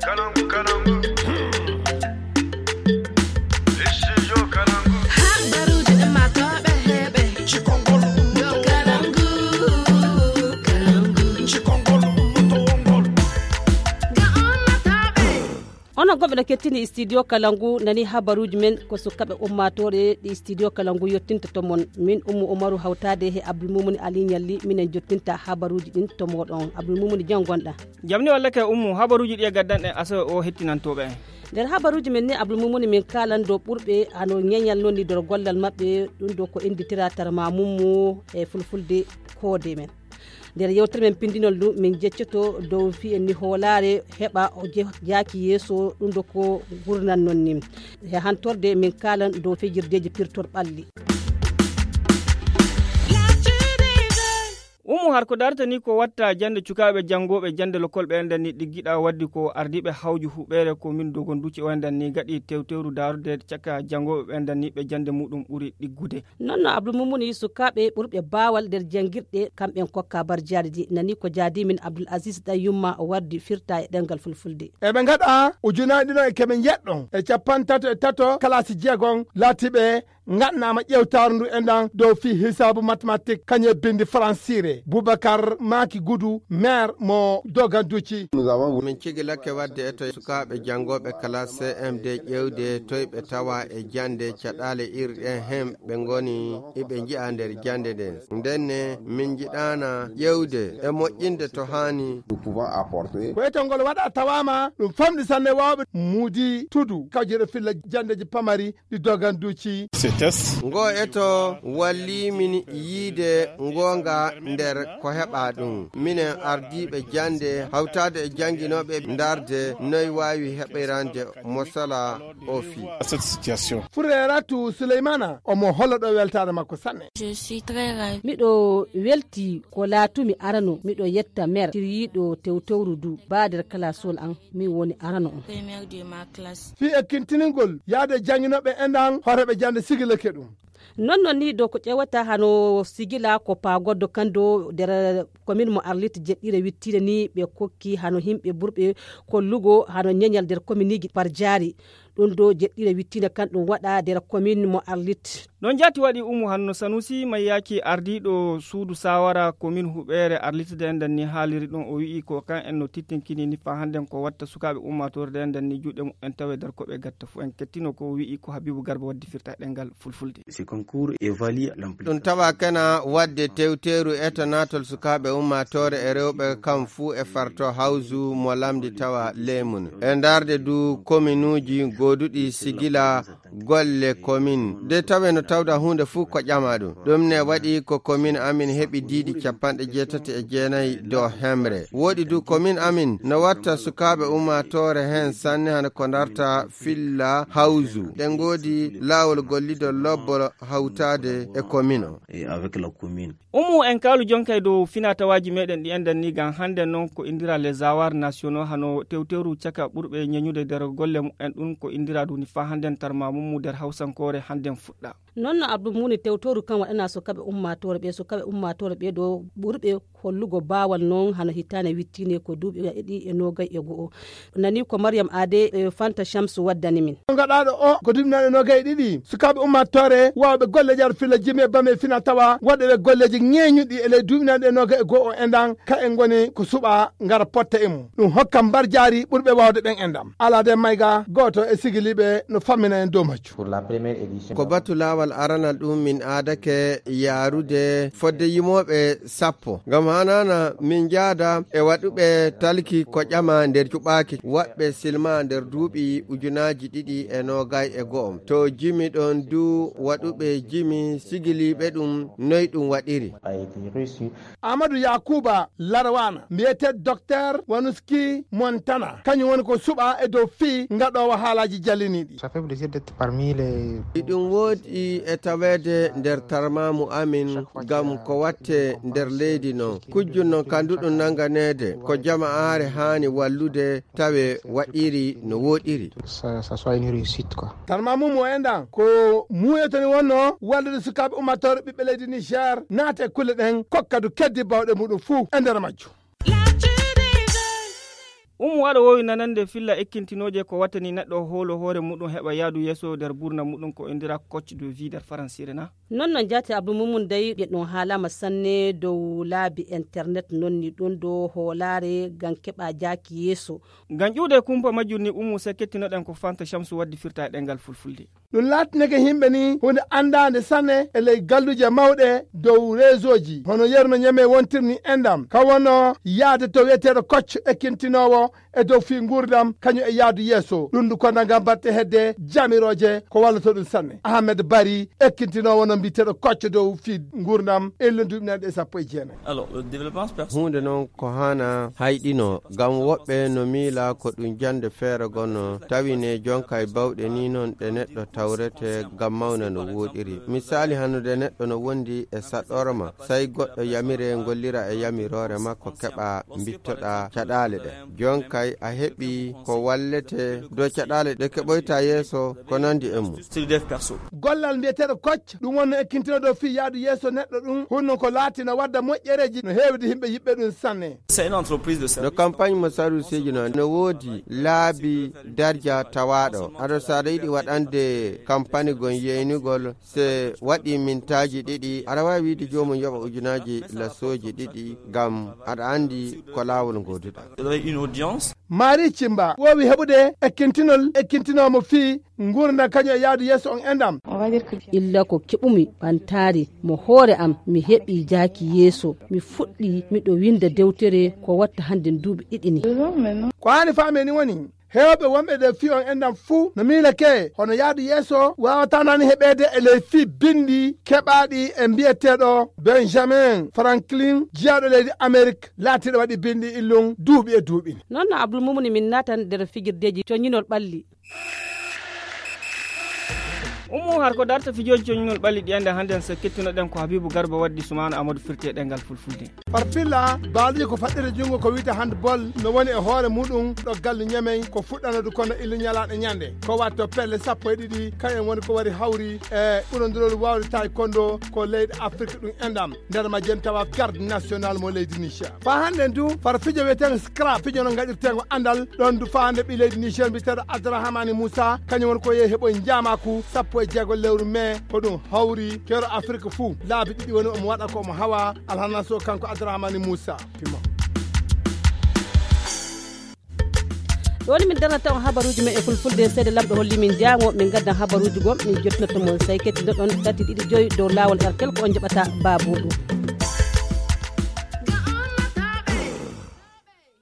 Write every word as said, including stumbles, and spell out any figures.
Kalangu, kalangu. Studio Kalangu. Habaruuji ɗi maatooɓe heɓe. Cikongol. Yo Kalangu, Kalangu. Cikongol, moto wongol. Ga ummatooɓe. Onon gonɓe no kettini studio Kalangu, nani habaruuji men ko sukaɓe ummaatoore ɗi studio Kalangu yottinta to mon. Min Ummu Umaru hawtaade he Abdul Mumuni Ali Ñalli, minen jottinta habaruuji ɗin to mooɗon. Abdul Mumuni, jam gonɗa? Jam ni walla kay Ummu, habaruuji ɗi e gaddanɗen asawe o hettinantooɓe en. Nder habaruuji men ni, Abdul Mumuni, min kaalan dow ɓurɓe hano ñeñal non ni nder gollal maɓɓe, ɗum ɗo ko innditira tarma mummu e fulfulde koode men. Nder yewtere men pinndinol ndu, min jeccoto dow fii en ni hoolaare heɓa o je-, jaaki yeeso, ɗum ɗo ko gurnan non ni. He hantorde min kaalan dow fijirdeeji pirtor ɓalli. Umu har ko darta ni ko watta jande cukaaɓe janngooɓe jande lokol ɓe enɗan ni ɗiggiɗa waddi ko ardiiɓe hawju huɓeere ko min dogon duci o enɗan ni gaɗi tewtewru daarude caka janngooɓe ɓe enɗan ni ɓe jande muɗum ɓuri ɗiggude. Non no Abdul Mumuni sukaaɓe ɓurɓe baawal nder janngirɗe kamɓe en kokka barjaari ɗi nani ko jaadi min Abdul Aziz ɗan yumma o wardi firta e ɗemngal fulfulde. Eɓe ngaɗa ujunaaji ɗiɗo e keme njeɗɗo e capantato e tato kalaasi jeegon laatiɓe ngaɗnaama ƴeewtaaru ndu enɗan dow fii hisaabu matematik kañum e binndi faransiire. Bubakar Maaki Gudu, maire mo Doganduci. Min cigilake waɗde e to sukaaɓe janngooɓe kalaas C M D ƴeewde toy ɓe tawa e jannde caɗaale iri ɗen heen ɓe ngoni iɓe njiya nder jannde nden. Ndenne min njiɗaana ƴeewde e moƴƴinde to haani. Ko etol ngol waɗa tawaama ɗum famɗi sanne waawɓe muudi tudu kawjere filla janndeeji pamari ɗi Doganduci. Ngo eto walli min yiide ngoonga nder ko heɓa ɗum. Minen ardiiɓe jannde hawtaade e jannginooɓe ndaarde noy waawi heɓirande mo sala o fii. Fureratu Suleymana omo holla ɗo weltaare makko sanne. Miɗo welti ko laatumi arano, miɗo yetta mer siryiiɗo tewtewru du baa nder kalasol an. Min woni arano on. Fii ekkintiningol yaade jannginooɓe enɗan horeeɓe jannde sigilake ɗum. Non non ni dow ko ƴeewata hano sigila ko paagoddo kan dow nder komin mo Arlit jeɗɗire wittiinde ni ɓe kokki hano yimɓe burɓe kollugo hano ñeñal nder kominiji par jaari. Ɗum dow jeɗɗire wittiinde kan ɗum waɗa nder komin mo Arlit. Ɗon jaati waɗi Umu Hanno Sanusi Mayyaaki ardiiɗo suudu saawara komin huɓeere Arlit de enɗan ni haaliri ɗum o wi'i ko kan en no tittinkini ni faa hannden ko watta sukaaɓe ummaatoore de enɗan ni juuɗe muɓɓen tawe nder ko ɓe gatta fu en kettino ko o wi'i ko Habiibu Garba waddi firta e ɗemngal fulfulde. Ɗum tawa kena waɗde tewteeru eto naatol sukaaɓe ummaatoore e rewɓe kam fuu e farto hawsu mo lamndi tawa leemun. E ndaarde du kominuuji gooduɗi sigila golle komin de tawe no tawda huunde fuu ko ƴama ɗum. Ɗum ne waɗi ko komin amin heɓi diidi capanɗe jeetati e jeenayi dow hemre. Woɗi du komin amin no watta sukaaɓe ummaatoore heen sanne hano ko ndarta filla hawsu. Ɗe ngoodi laawol gollidol lobbol hawtaade e komin o. Umu en kaalu jonkay dow finatawaaji meɗen ɗi enɗan ni ngam hannde noon ko indira les avoirs nationaux hano tewtewru caka ɓurɓe ñeñude nder golle muɓɓen ɗum ko indira ɗum ni faa hannden tarma mum mu nder hawsankoore hannden fuɗɗa. Non no Abdou Muni tewtewru kan waɗana sukaaɓe ummaatoore ɓe, sukaaɓe ummaatoore ɓe ɗo ɓurɓe hollugo baawal noon hano hitaande wittiinde ko duuɓi ɗiɗi e noogay e go'o. Nani ko Mariam Ade e Fanta Shamsu waddani min. Gaɗaaɗo o ko duuɓi naaɗe noogay e ɗiɗi. Sukaaɓe ummaatoore waawɓe golleeji ar filla jimi e bame fina tawa waɗɓe golleeji ŋeeñuɗi e ley duuɓi naaɗe noogay e go'o e ndan ka en ngoni ko suɓa ngara potta e mum. Ɗum hokka mbarjaari ɓurɓe waawde ɓen e ndam. Alaa de mayga gooto e sigiliiɓe no fammina en dow majjum. Ko batu laawal aranal ɗum min aadake yaarude fodde yimooɓe sappo. Ngam hanana min njaada e waɗuɓe talki ko ƴama nder cuɓaaki waɗɓe silma nder duuɓi ujunaaji ɗiɗi e noogay e go'o. To jimi ɗon du waɗuɓe jimi sigiliiɓe ɗum noy ɗum waɗiri. Amadou Yakuba Larwana, mbiyetee Docteur Wanuski Montana, kañum woni ko suɓa e dow fii ngaɗoowo haalaaji jalliniiɗi. Ça fait plaisir d'être parmi les. Iɗum woodi e taweede nder tarmaamu amin ngam ko watte nder leydi noon. Kujjun noon kanduɗum nannganeede ko jama'aare haani wallude tawe waɗiri no woɗiri. Ça, ça soit une réussite, quoi. Tarmaamu mo enɗan ko muuyoto ni wonno wallude sukaaɓe ummatore ɓiɓɓe leydi Niger naata e kulle ɗen kokka du keddi bawɗe muɗum fuu e nder majjum. Umu aɗa woowi nanande filla ekkintinooje ko wattani neɗɗo hoolo hoore muɗum heɓa yaadu yeeso nder buurnam muɗum ko inndiraa coach de vie nder faransiire na? Non non jaati Abdou Moumoun dey ɓe ɗum haalaama sanne dow laabi internet non ni ɗum ɗo hoolaare ngam keɓa jaaki yeeso. Ngam ƴuude kumpa majjum ni Umu sey kettinoɗen ko Fanta Shamsu waddi firta e ɗemngal fulfulde. Ɗum laatinake yimɓe ni huunde anndaande sanne e ley galluuje mawɗe dow reesooji hono yerno ñeme wontirni endam ka wonno yaade to wiyeteeɗo kocco ekkintinoowo e dow fii nguurndam kañum e yaadu yeeso ɗum ndu kono ngam batte hedde jamirooje ko wallata ɗum sanne. Ahmed Bari ekkintinoowo no mbiyeteeɗo kocco dow fii nguurndam illa duuɓi nanɗe sappo e jeenayi. Alors le développement personnel. Huunde noon ko hana hayɗino ngam woɓɓe no miila ko ɗum jannde feere gonno tawi ne jonka e bawɗe ni noon ɗe neɗɗo tawrete ngam mawna no wooɗiri. Misaali hannude neɗɗo no wondi e saɗɗorma, sey goɗɗo yamire ngollira e yamiroore makko keɓa mbittoɗa caɗaale ɗe. Jonkay a heɓi ko wallete dow caɗaale ɗe keɓoyta yeeso ko nandi e mum. Gollal mbiyeteeɗo kocc ɗum wonno ekkintinooɗo fii yaadu yeeso neɗɗo ɗum hunno ko laatina wadda moƴƴereeji no heewde yimɓe yiɓɓe ɗum sanne. No campagne mo sarusiiji noon no woodi laabi darja tawaaɗo aɗa so aɗa yiɗi waɗande campagne gon yeynugol se waɗi mintaaji ɗiɗi aɗa waawi wiide joomum yoɓa ujunaaji lasooji ɗiɗi ngam aɗa anndi ko laawol ngoduɗa. Marie Cimba woowi heɓude ekkintinol ekkintinoomo fii nguurndam kañum e yaadu yeeso on endam. Illa ko keɓumi ɓantaari mo hoore am mi heɓi jaaki yeeso mi fuɗɗi miɗo winnda dewtere ko watta hannde duuɓi ɗiɗi ni. Ko haani faamee ni woni heewɓe wonɓe ɗe fii on endam fuu no miilake hono yaadu yeeso waawataa naani heɓeede e ley fii binndi keɓaaɗi e mbiyeteeɗo Benjamin Franklin jiyaaɗo leydi Amerik laatiiɗo waɗi binndi illum duuɓi e duuɓi. Noon no Abdul Mumuni min naatan nder fijirdeeji coñinol ɓalli. Ummu har ko darta fijooji coñinol ɓalli ɗi annde hannde so kettunoɗen ko Habibu Garba waddi Sumaana Amadou firti e ɗemngal fulfulde. Farfilla baaluji ko faɗɗirde junngo ko wiyte handball no woni e hoore muɗum ɗo galle ñamey ko fuɗɗanodu kono illu ñalaaɗe ñande ko watto pelle sappo e ɗiɗi kañum woni ko wari hawri e ɓurondirol wawde taekwondo ko leyɗe Afrique ɗum enɗam nder majjen tawa garde national mo leydi Niger. Fa hannden du far fijo wiyeteego scrap fijo no gaɗirteego anndal ɗon du fa hannde ɓi leydi Niger mbiteeɗo Abdourahmani Moussa kañum woni ko yehi heɓoy njaamaku sappo e jeego lewru mai ko ɗum hawri keero Afrique fuu laabi ɗiɗi woni omo waɗa ko omo hawa alhanas o kanko Abdourahmani Moussa. Pima. Ɗoni min darnata on habaruuji men e fulfulde seede lamɗo holli min jaango min gaddan habaruuji gom min jottinotto mon sey kettidoɗon tati ɗiɗi joyi dow laawol artel ko on jaɓata baabuɗo.